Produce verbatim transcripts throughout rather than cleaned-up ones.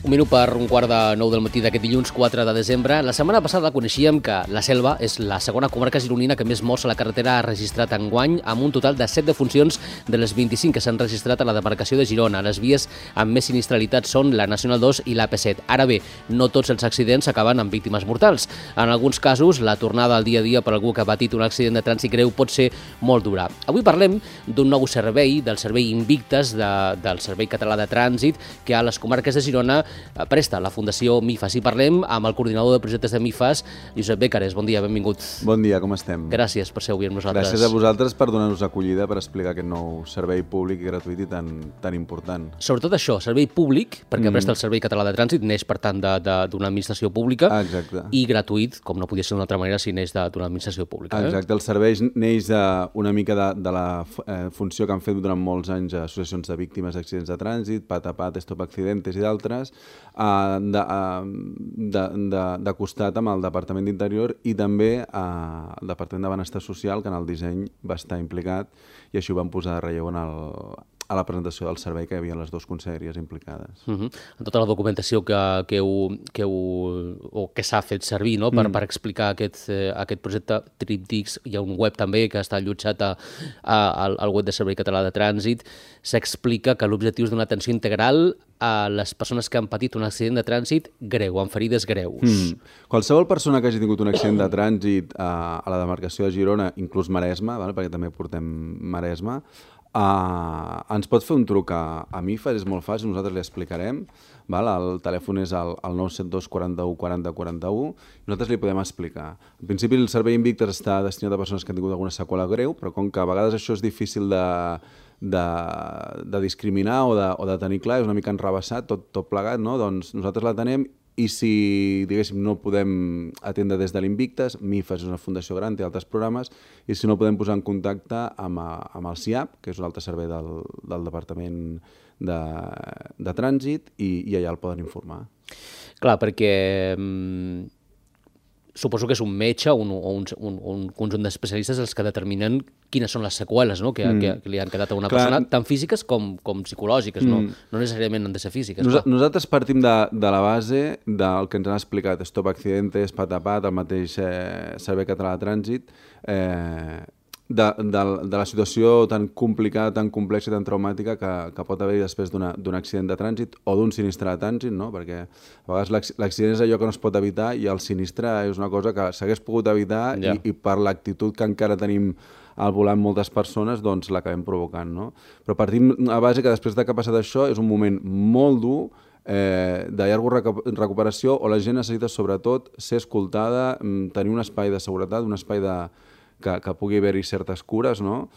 Un minut per un quart de nou del matí d'aquest dilluns quatre de desembre. La setmana passada coneixíem que la Selva és la segona comarca gironina que més morts a la carretera ha registrat enguany, amb un total de set defuncions de les vint-i-cinc que s'han registrat a la demarcació de Girona. Les vies amb més sinistralitat són la Nacional dos i l'A P set. Ara bé, no tots els accidents acaben amb víctimes mortals. En alguns casos, la tornada al dia a dia per algú que ha patit un accident de trànsit greu pot ser molt dura. Avui parlem d'un nou servei, del servei Invictes, de, del Servei Català de Trànsit, que a les comarques de Girona presta la Fundació MIFAS. I parlem amb el coordinador de projectes de MIFAS, Josep Bécares. Bon dia, benvingut. Bon dia, com estem? Gràcies per ser avui amb nosaltres. Gràcies a vosaltres per donar-nos acollida, per explicar aquest nou servei públic i gratuït i tan, tan important. Sobretot això, servei públic, perquè mm. presta el Servei Català de Trànsit, neix per tant d'una administració pública, ah, exacte. I gratuït, com no podia ser d'una altra manera si neix d'una administració pública. Eh? Exacte, el servei neix una mica de, de la eh, funció que han fet durant molts anys associacions de víctimes d'accidents de trànsit, Pat a Pat, Stop Accidentes i d'altres, eh, de, de, de, de costat amb el Departament d'Interior i també eh, el Departament de Benestar Social, que en el disseny va estar implicat, i així ho vam posar de relleu en el, a la presentació del servei, que hi havia les dues conselleries implicades. Uh-huh. En tota la documentació que, que, heu, que, heu, o que s'ha fet servir, no? per, mm. per explicar aquest, eh, aquest projecte Tríptics, hi ha un web també que està allotjat a, a, al, al web del Servei Català de Trànsit. S'explica que l'objectiu és donar atenció integral a les persones que han patit un accident de trànsit greu, amb ferides greus. Mm. Qualsevol persona que hagi tingut un accident de trànsit a, a la demarcació de Girona, inclús Maresme, vale? Perquè també portem Maresme, Uh, ens pot fer un truc a, a MIFAS, és molt fàcil, nosaltres li explicarem, val? El telèfon és el, el nou set dos quaranta-u quaranta quaranta-u, nosaltres li podem explicar. En principi el servei Invictes està destinat a persones que han tingut alguna seqüela greu, però com que a vegades això és difícil de, de, de discriminar o de, o de tenir clar, és una mica enrabassat, tot, tot plegat, no? Doncs nosaltres l'atenem. I si, diguéssim, no podem atendre des de l'Invictes, MIFAS és una fundació gran, té altres programes, i si no podem posar en contacte amb, amb el SIAP, que és un altre servei del, del Departament de, de Trànsit, i, i allà el poden informar. Clar, perquè mm, suposo que és un metge o un, un, un, un conjunt d'especialistes els que determinen quines són les seqüeles, no? que, mm. que, que li han quedat a una clar. persona, tant físiques com, com psicològiques, mm. no, no necessàriament han de ser físiques. Nos, nosaltres partim de, de la base del que ens han explicat Stop Accidentes, Pat a Pat, el mateix eh, Servei Català de Trànsit, eh, de, de, de la situació tan complicada, tan complexa i tan traumàtica que, que pot haver-hi després d'un accident de trànsit o d'un sinistre de trànsit, no? Perquè a vegades l'accident és allò que no es pot evitar i el sinistre és una cosa que s'hagués pogut evitar ja. i, i per l'actitud que encara tenim al volant moltes persones, doncs l'acabem provocant, no? Però partim a base que després de que ha passat això és un moment molt dur, eh, de llarga recuperació, on la gent necessita sobretot ser escoltada, tenir un espai de seguretat, un espai de que, que pugui haver-hi certes cures, no?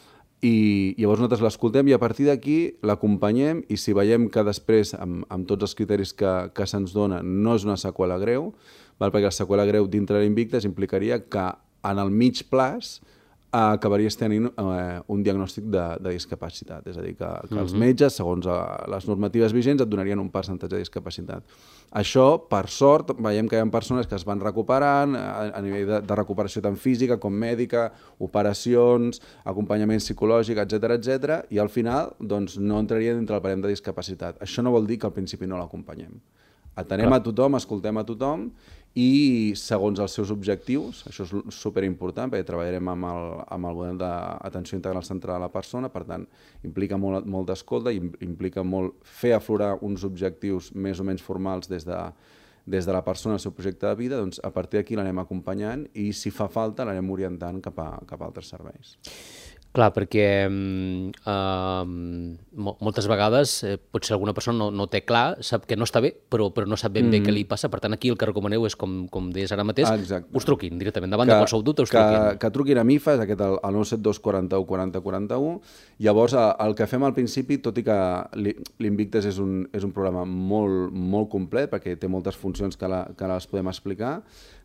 I llavors nosaltres l'escoltem i a partir d'aquí l'acompanyem i si veiem que després, amb, amb tots els criteris que, que se'ns dona, no és una seqüela greu, val? Perquè la seqüela greu dintre de l'Invictes implicaria que en el mig plaç acabaries tenint eh, un diagnòstic de, de discapacitat. És a dir, que, que els metges, segons a, les normatives vigents, et donarien un percentatge de discapacitat. Això, per sort, veiem que hi ha persones que es van recuperant a, a nivell de, de recuperació tant física com mèdica, operacions, acompanyament psicològic, etcètera, etcètera, i al final doncs, no entraria dintre el barem de discapacitat. Això no vol dir que al principi no l'acompanyem. Atenem a tothom, escoltem a tothom i segons els seus objectius, això és superimportant perquè treballarem amb el, amb el model d'atenció integral centrada a la persona, per tant implica molt, molt d'escolta, implica molt fer aflorar uns objectius més o menys formals des de, des de la persona al seu projecte de vida, doncs a partir d'aquí l'anem acompanyant i si fa falta l'anem orientant cap a, cap a altres serveis. Clar, perquè uh, moltes vegades eh, potser alguna persona no, no té clar, sap que no està bé, però, però no sap ben mm. bé què li passa. Per tant, aquí el que recomaneu és, com, com deies ara mateix, Exacte. us truquin directament. Davant que, de qualsevol dubte us que, truquin. Que truquin a MIFAS, aquest el, el nou set dos quaranta-u quaranta quaranta-u. Llavors, el que fem al principi, tot i que l'Invictes és, un, és un programa molt, molt complet, perquè té moltes funcions que, la, que les podem explicar,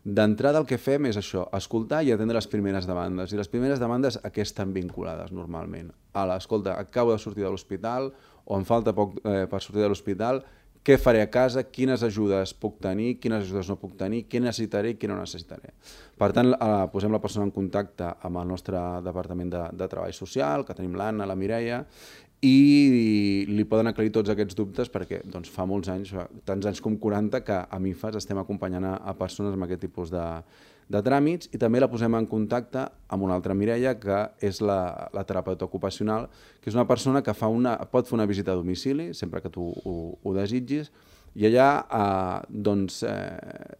d'entrada el que fem és això, escoltar i atendre les primeres demandes. I les primeres demandes a què estan vinculades normalment? A l'escolta, acabo de sortir de l'hospital o em falta poc eh, per sortir de l'hospital, què faré a casa, quines ajudes puc tenir, quines ajudes no puc tenir, què necessitaré i què no necessitaré. Per tant, eh, posem la persona en contacte amb el nostre Departament de, de Treball Social, que tenim l'Anna, la Mireia, i li poden aclarir tots aquests dubtes perquè doncs, fa molts anys, fa tants anys com quaranta, que a MIFAS estem acompanyant a, a persones amb aquest tipus de, de tràmits, i també la posem en contacte amb una altra Mireia, que és la, la terapeuta ocupacional, que és una persona que fa una, pot fer una visita a domicili, sempre que tu ho, ho desitgis, i allà eh, doncs, eh,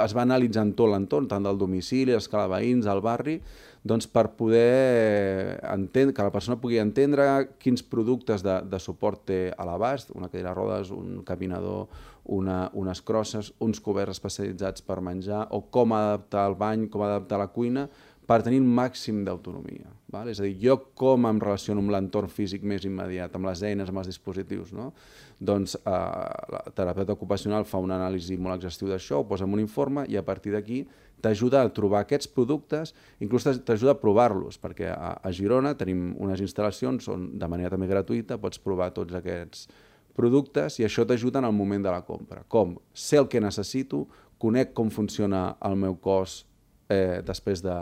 es va analitzant tot l'entorn, tant del domicili, l'escala de veïns, el barri, doncs per poder entendre, que la persona pugui entendre quins productes de, de suport té a l'abast, una cadira de rodes, un caminador, una, unes crosses, uns coberts especialitzats per menjar, o com adaptar el bany, com adaptar la cuina, per tenir un màxim d'autonomia. És a dir, jo com em relaciono amb l'entorn físic més immediat, amb les eines, amb els dispositius, no? Doncs eh, la terapeuta ocupacional fa una anàlisi molt exhaustiu d'això, ho posa en un informe i a partir d'aquí t'ajuda a trobar aquests productes, inclús t'ajuda a provar-los, perquè a, a Girona tenim unes instal·lacions on de manera també gratuïta pots provar tots aquests productes i això t'ajuda en el moment de la compra. Com? Sé el que necessito, conec com funciona el meu cos eh, després de,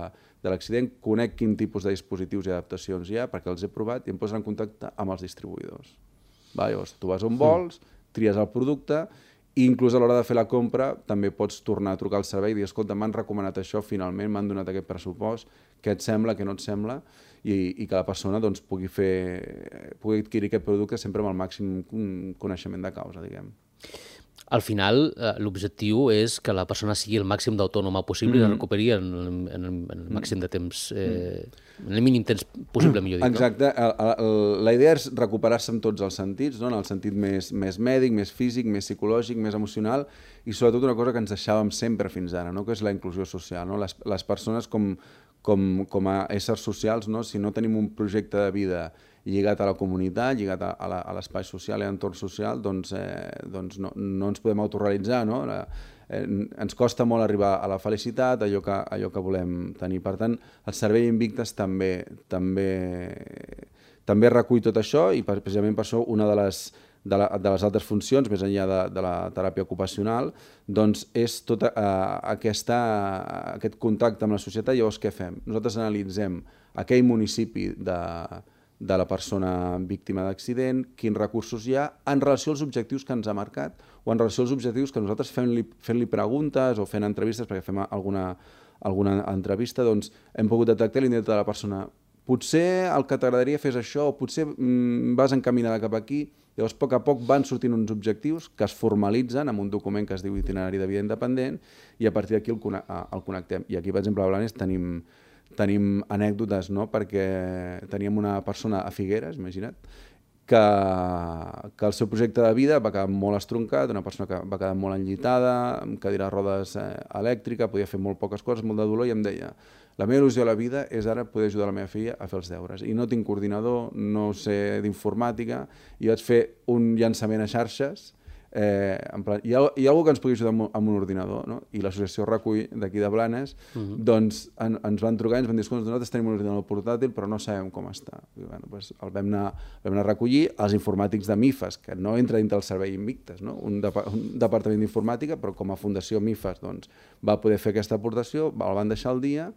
de l'accident, conec quin tipus de dispositius i adaptacions hi ha perquè els he provat i em posen en contacte amb els distribuïdors. Va, llavors, tu vas on vols, tries el producte i inclús a l'hora de fer la compra també pots tornar a trucar al servei i dir, escolta, m'han recomanat això, finalment m'han donat aquest pressupost, què et sembla, què no et sembla, i, i que la persona doncs, pugui, fer, pugui adquirir aquest producte sempre amb el màxim coneixement de causa, diguem. Al final, eh, l'objectiu és que la persona sigui el màxim d'autònoma possible mm. i la recuperi en, en, en, en el màxim de temps, eh, en el mínim temps possible, millor dit. Exacte. No? El, el, la idea és recuperar-se en tots els sentits, no? En el sentit més, més mèdic, més físic, més psicològic, més emocional, i sobretot una cosa que ens deixàvem sempre fins ara, no? Que és la inclusió social. No? Les, les persones com, com, com a éssers socials, no? Si no tenim un projecte de vida lligat a la comunitat, lligat a l'espai social i a l'entorn social, doncs, eh, doncs no, no ens podem autorrealitzar, no? La, eh, ens costa molt arribar a la felicitat, allò que, allò que volem tenir. Per tant, el Servei Invictes també, també, també recull tot això i precisament per això una de les, de, la, de les altres funcions, més enllà de, de la teràpia ocupacional, doncs és tot eh, aquesta, aquest contacte amb la societat. Llavors, què fem? Nosaltres analitzem aquell municipi de de la persona víctima d'accident, quins recursos hi ha en relació als objectius que ens ha marcat o en relació als objectius que nosaltres fent-li fent-li preguntes o fent entrevistes, perquè fem alguna, alguna entrevista, doncs hem pogut detectar l'interès de la persona. Potser el que t'agradaria fer és això, o potser mm, vas encaminada cap aquí. Llavors, a poc a poc van sortint uns objectius que es formalitzen en un document que es diu Itinerari de Vida Independent i a partir d'aquí el, el connectem. I aquí, per exemple, a Blanes tenim tenim anècdotes, no? Perquè teníem una persona a Figueres, imagina't, que, que el seu projecte de vida va quedar molt estroncat, una persona que va quedar molt enllitada, amb cadira de rodes eh, elèctrica, podia fer molt poques coses, molt de dolor, i em deia, la meva il·lusió a la vida és ara poder ajudar la meva filla a fer els deures. I no tinc coordinador, no sé d'informàtica, i vaig fer un llançament a xarxes. Eh, en plan, hi ha, hi ha algú que ens pugui ajudar amb, amb un ordinador, no? I l'associació Recull d'aquí de Blanes uh-huh. doncs en, ens van trucar i ens van dir, escolta, nosaltres tenim un ordinador portàtil però no sabem com està. I, bueno, doncs el vam anar, vam anar a recollir els informàtics de MIFAS, que no entra dintre del Servei Invictes, no? un, de, un departament d'informàtica, però com a Fundació MIFAS doncs, va poder fer aquesta aportació, el van deixar al dia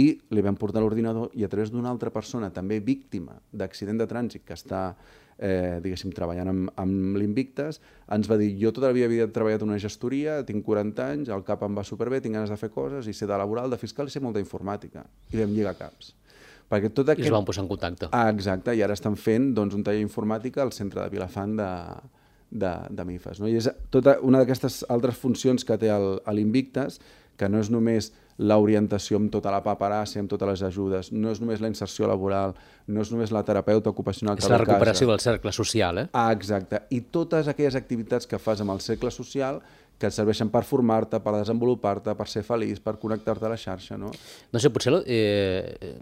i li vam portar l'ordinador i a través d'una altra persona també víctima d'accident de trànsit que està Eh, diguéssim, treballant amb, amb l'Invictes, ens va dir, jo tota la vida havia treballat en una gestoria, tinc quaranta anys, el cap em va superbé, tinc ganes de fer coses, i sé de laboral, de fiscal, i sé molta informàtica. I vam lligar caps. Perquè tot aquest... I es van posar en contacte. Ah, exacte, i ara estan fent doncs, un taller d'informàtica al centre de Vilafant de, de, de MIFAS. No? I és tota una d'aquestes altres funcions que té l'Invictes, que no és només l'orientació amb tota la paperassa, amb totes les ajudes, no és només la inserció laboral, no és només la terapeuta ocupacional que és la recuperació del cercle social, eh? Ah, exacte. I totes aquelles activitats que fas amb el cercle social que et serveixen per formar-te, per desenvolupar-te, per ser feliç, per connectar-te a la xarxa, no? No sé, potser eh,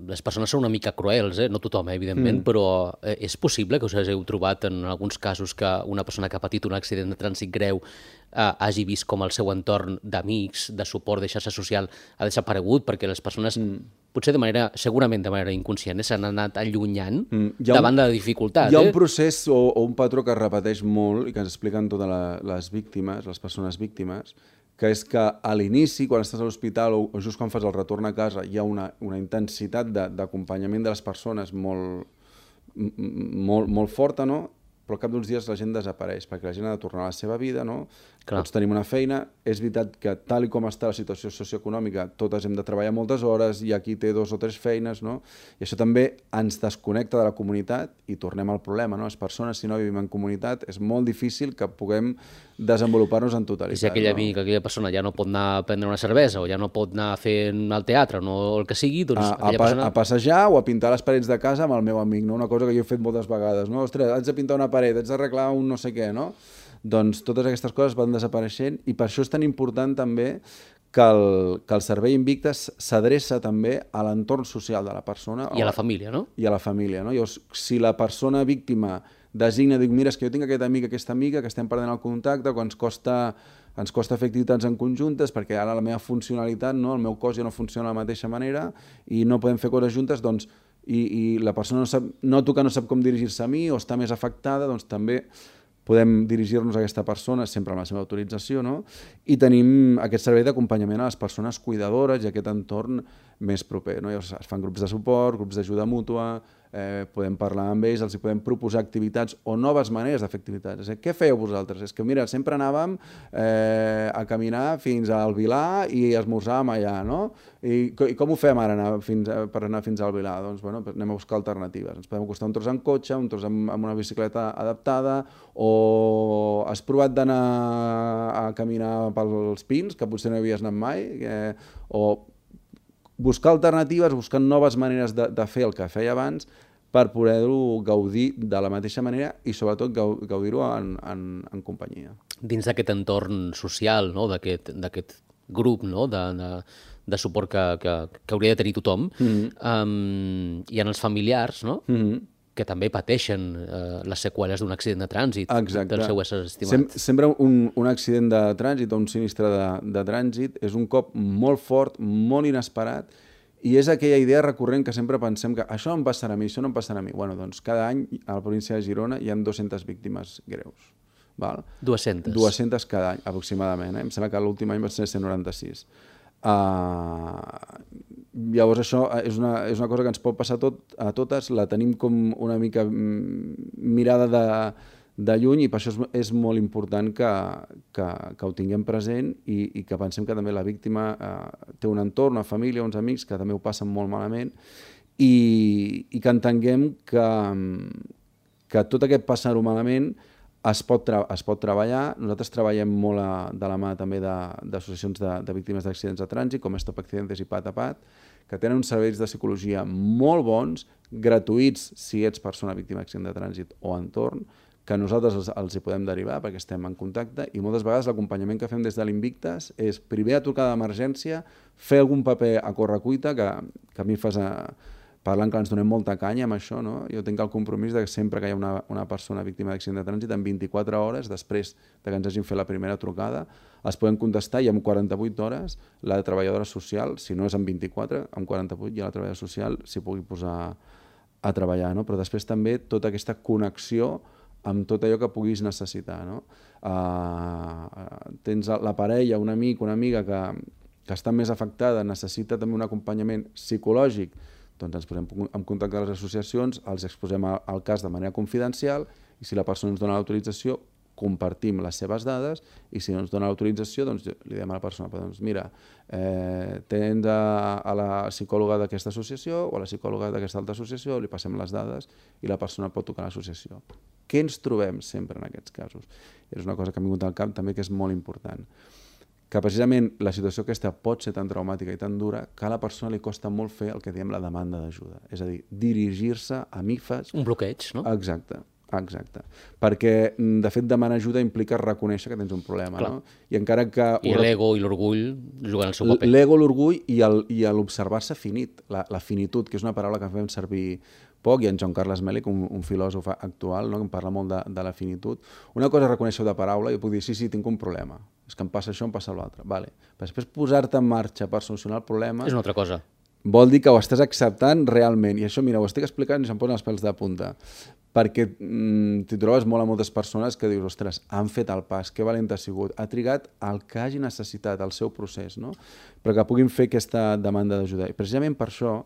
les persones són una mica cruels, eh? No tothom, eh, evidentment, mm. però eh, és possible que us hagueu trobat en alguns casos que una persona que ha patit un accident de trànsit greu eh, hagi vist com el seu entorn d'amics, de suport, de xarxa social ha desaparegut perquè les persones, mm. potser de manera, segurament de manera inconscient, eh, s'han anat allunyant mm. davant un, de la dificultat. Hi ha eh? un procés o, o un patró que es repeteix molt i que ens expliquen totes la, les víctimes, les persones víctimes, que és que a l'inici, quan estàs a l'hospital o, o just quan fas el retorn a casa, hi ha una, una intensitat d'acompanyament de, de les persones molt, molt, molt forta, no? Però al cap d'uns dies la gent desapareix, perquè la gent ha de tornar a la seva vida, no? Clar. Tots tenim una feina. És veritat que tal i com està la situació socioeconòmica, totes hem de treballar moltes hores, i aquí té dos o tres feines, no? I això també ens desconnecta de la comunitat i tornem al problema, no? Les persones, si no vivim en comunitat, és molt difícil que puguem desenvolupar-nos en totalitat. I si aquell no? amic, aquella persona ja no pot anar a prendre una cervesa o ja no pot anar a fer al teatre o no, el que sigui, doncs a, aquella a, persona... a passejar o a pintar les parets de casa amb el meu amic, no? Una cosa que jo he fet moltes vegades, no? Ostres, haig de pintar una paret, haig d'arreglar un no sé què, no? Doncs totes aquestes coses van desapareixent, i per això és tan important també que el, que el servei Invictes s'adreça també a l'entorn social de la persona. I a la família, no? I a la família, no? Llavors, si la persona víctima designa, diu, mira, és que jo tinc aquest amic, aquesta amiga, que estem perdent el contacte, que ens costa, ens costa fer activitats en conjuntes, perquè ara la meva funcionalitat, no? El meu cos ja no funciona de la mateixa manera i no podem fer coses juntes, doncs, i, i la persona no sap, noto que no sap com dirigir-se a mi o està més afectada, doncs també podem dirigir-nos a aquesta persona sempre amb la seva autorització, no? I tenim aquest servei d'acompanyament a les persones cuidadores i aquest entorn més proper, no? Llavors es fan grups de suport, grups d'ajuda mútua, eh, podem parlar amb ells, els hi podem proposar activitats o noves maneres de fer activitats. És a dir, què fèieu vosaltres? És que, mira, sempre anàvem eh, a caminar fins al Vilar i esmorzàvem allà, no? I, i com ho fem ara anar fins a, per anar fins al Vilar? Doncs, bueno, anem a buscar alternatives. Ens podem acostar un tros en cotxe, un tros amb, amb una bicicleta adaptada, o has provat d'anar a caminar pels pins, que potser no havies anat mai, eh, o buscar alternatives, buscar noves maneres de, de fer el que feia abans per poder-ho gaudir de la mateixa manera i sobretot gaudir-ho en, en, en companyia. Dins d'aquest entorn social, no? d'aquest grup, no? de, de, de suport que, que, que hauria de tenir tothom, mm-hmm. um, hi ha els familiars, no? Mm-hmm. que també pateixen eh, les seqüeles d'un accident de trànsit. Exacte. Del seu ésser estimat. Sem sempre un, un accident de trànsit o un sinistre de, de trànsit és un cop molt fort, molt inesperat, i és aquella idea recurrent que sempre pensem que això em passarà a mi, això no em passarà a mi. Bueno, doncs cada any a la província de Girona hi ha dues-centes víctimes greus. Val? dues-centes? dues-centes cada any, aproximadament. Eh? Em sembla que l'últim any va ser cent noranta-sis. Uh, llavors això és una, és una cosa que ens pot passar tot, a totes, la tenim com una mica mirada de, de lluny, i per això és, és molt important que, que, que ho tinguem present i, i que pensem que també la víctima uh, té un entorn, una família, uns amics que també ho passen molt malament, i, i que entenguem que, que tot aquest passar-ho malament Es pot, es pot treballar. Nosaltres treballem molt a, de la mà també d'associacions de, de, de víctimes d'accidents de trànsit, com Stop Accidentes i Pat a Pat, que tenen uns serveis de psicologia molt bons, gratuïts si ets persona víctima d'accident de trànsit o entorn, que nosaltres els, els hi podem derivar perquè estem en contacte, i moltes vegades l'acompanyament que fem des de l'Invictes és primer a trucar d'emergència, fer algun paper a correcuita, que, que a mi fas a... parlant que ens donem molta canya amb això, no? Jo tinc el compromís de que sempre que hi ha una, una persona víctima d'accident de trànsit, en vint-i-quatre hores, després de que ens hagin fet la primera trucada, es poden contestar, i en quaranta-vuit hores la treballadora social, si no és en vint-i-quatre, en quaranta-vuit ja la treballadora social s'hi pugui posar a treballar, no? Però després també tota aquesta connexió amb tot allò que puguis necessitar, no? Uh, tens la parella, un amic, una amiga que, que està més afectada, necessita també un acompanyament psicològic, doncs ens posem en contacte amb les associacions, els exposem el cas de manera confidencial, i si la persona ens dona l'autorització, compartim les seves dades, i si no ens dona l'autorització, doncs li diem a la persona, doncs mira, eh, tens a, a la psicòloga d'aquesta associació o a la psicòloga d'aquesta altra associació, li passem les dades i la persona pot trucar a l'associació. Què ens trobem sempre en aquests casos? És una cosa que m'ha vingut al cap també que és molt important. Que precisament la situació aquesta pot ser tan traumàtica i tan dura que a la persona li costa molt fer el que diem la demanda d'ajuda. És a dir, dirigir-se a M I F Es... Un bloqueig, no? Exacte, exacte. Perquè, de fet, demanar ajuda implica reconèixer que tens un problema, no? I encara que... I l'ego i l'orgull juguen el seu paper. L'ego, l'orgull i l'observar-se finit, la, la finitud, que és una paraula que fem servir poc, i en Joan Carles Mèlic, un, un filòsof actual, no?, que em parla molt de, de la finitud. Una cosa és reconèixer de paraula, i puc dir, sí, sí, tinc un problema, és que em passa això, em passa l'altre. Vale. Però després posar-te en marxa per solucionar el problema... És una altra cosa. Vol dir que ho estàs acceptant realment, i això, mira, ho estic explicant i se'm posen els pèls de punta, perquè mm, t'hi trobes molt a moltes persones que dius, ostres, han fet el pas, que valent ha sigut, ha trigat el que hagi necessitat, el seu procés, no? Però que puguin fer aquesta demanda d'ajuda. I precisament per això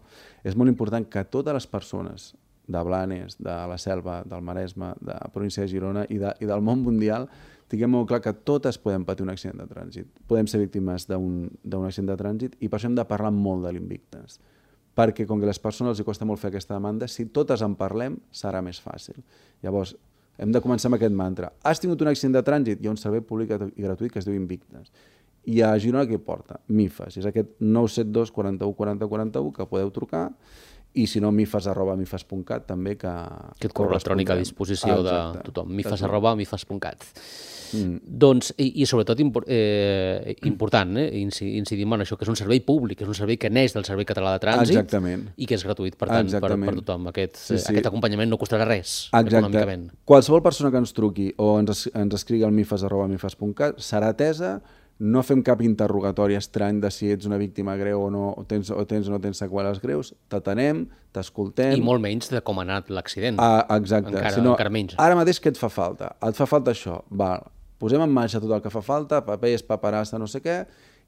és molt important que totes les persones de Blanes, de la Selva, del Maresme, de la província de Girona i, de, i del món mundial, tinguem molt clar que totes podem patir un accident de trànsit. Podem ser víctimes d'un accident de trànsit i per això hem de parlar molt de l'Invictes. Perquè com que a les persones els costa molt fer aquesta demanda, si totes en parlem serà més fàcil. Llavors, hem de començar amb aquest mantra. Has tingut un accident de trànsit? Hi ha un servei públic i gratuït que es diu Invictes. I a Girona què porta? MIFAS. És aquest nou set dos quaranta-u quaranta quaranta-u que podeu trucar i si no, mifas arroba mifas punt cat també que... Aquest correu electrònic a disposició de tothom. mifas arroba mifas punt cat. Doncs, i sobretot eh, important, eh, incidim en això, que és un servei públic, que és un servei que neix del Servei Català de Trànsit i que és gratuït, per tant, per tothom. Aquest acompanyament no costarà res econòmicament. Qualsevol persona que ens truqui o ens escrigui al mifas arroba mifas punt cat serà atesa. No fem cap interrogatori estrany de si ets una víctima greu o no, o tens o, tens, o no tens seqüeles greus. T'atenem, t'escoltem... I molt menys de com ha anat l'accident. Ah, exacte. Encara, si no, encara menys. Ara mateix què et fa falta? Et fa falta això. Val. Posem en marxa tot el que fa falta, papers, paperassa, no sé què,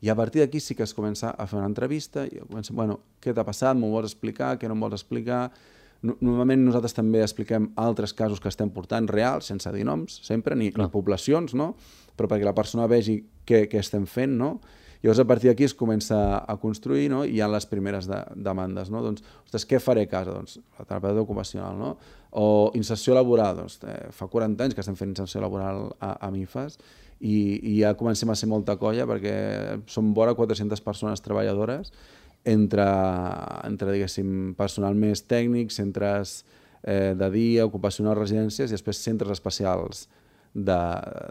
i a partir d'aquí sí que es comença a fer una entrevista i comença, bueno, què t'ha passat, m'ho vols explicar, què no em vols explicar... Normalment nosaltres també expliquem altres casos que estem portant reals, sense dir noms, sempre, ni, ni poblacions, no? Però perquè la persona vegi què, què estem fent, no? Llavors, a partir d'aquí es comença a construir, no? I hi ha les primeres de, demandes, no? Doncs, ostres, què faré a casa? Doncs, la terapeuta ocupacional, no? O inserció laboral, doncs, eh, fa quaranta anys que estem fent inserció laboral a, a MIFAS i, i ja comencem a ser molta colla perquè som vora quatre-centes persones treballadores entre, entre diguéssim, personal més tècnic, centres eh, de dia, ocupacionals, residències i després centres especials de,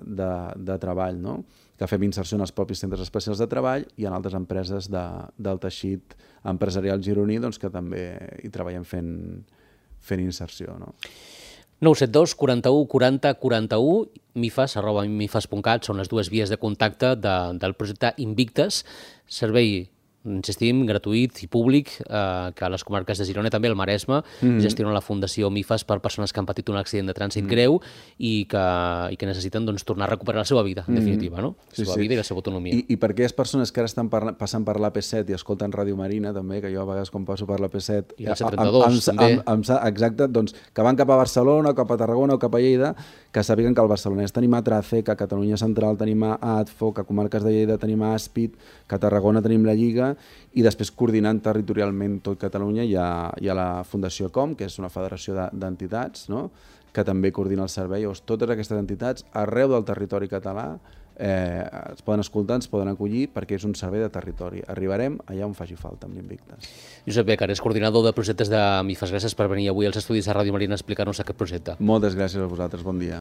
de, de treball, no? Que fem inserció en els propis centres especials de treball i en altres empreses de, del teixit empresarial gironí doncs, que també hi treballem fent, fent inserció, no? nou set dos quaranta-u quaranta quaranta-u, mifas arroba mifas punt cat són les dues vies de contacte de, del projecte Invictes, servei insistim, gratuït i públic, eh, que a les comarques de Girona i també al Maresme mm. gestiona la Fundació MIFAS per persones que han patit un accident de trànsit mm. greu i que, i que necessiten doncs, tornar a recuperar la seva vida, en mm. definitiva, no? La seva sí, sí. vida i la seva autonomia. I, i per aquelles persones que ara estan parla, passant per l'A P set i escolten Ràdio Marina, també, que jo a vegades quan passo per l'A P set... I la C trenta-dos, també. Amb, amb, exacte, doncs, que van cap a Barcelona, cap a Tarragona o cap a Lleida, que sàpiguen que al Barcelonès tenim a Trace, que a Catalunya Central tenim a ADFO, que a comarques de Lleida tenim a Aspid, que a Tarragona tenim la Lliga, i després coordinant territorialment tot Catalunya hi ha, hi ha la Fundació Com, que és una federació d'entitats, no? Que també coordina el servei. Llavors, totes aquestes entitats arreu del territori català eh, es poden escoltar, ens poden acollir perquè és un servei de territori. Arribarem allà on faci falta amb l'Invictes. Josep Becar és coordinador de projectes de MIFAS. Gràcies per venir avui als estudis de Ràdio Marina a explicar-nos aquest projecte. Moltes gràcies a vosaltres, bon dia.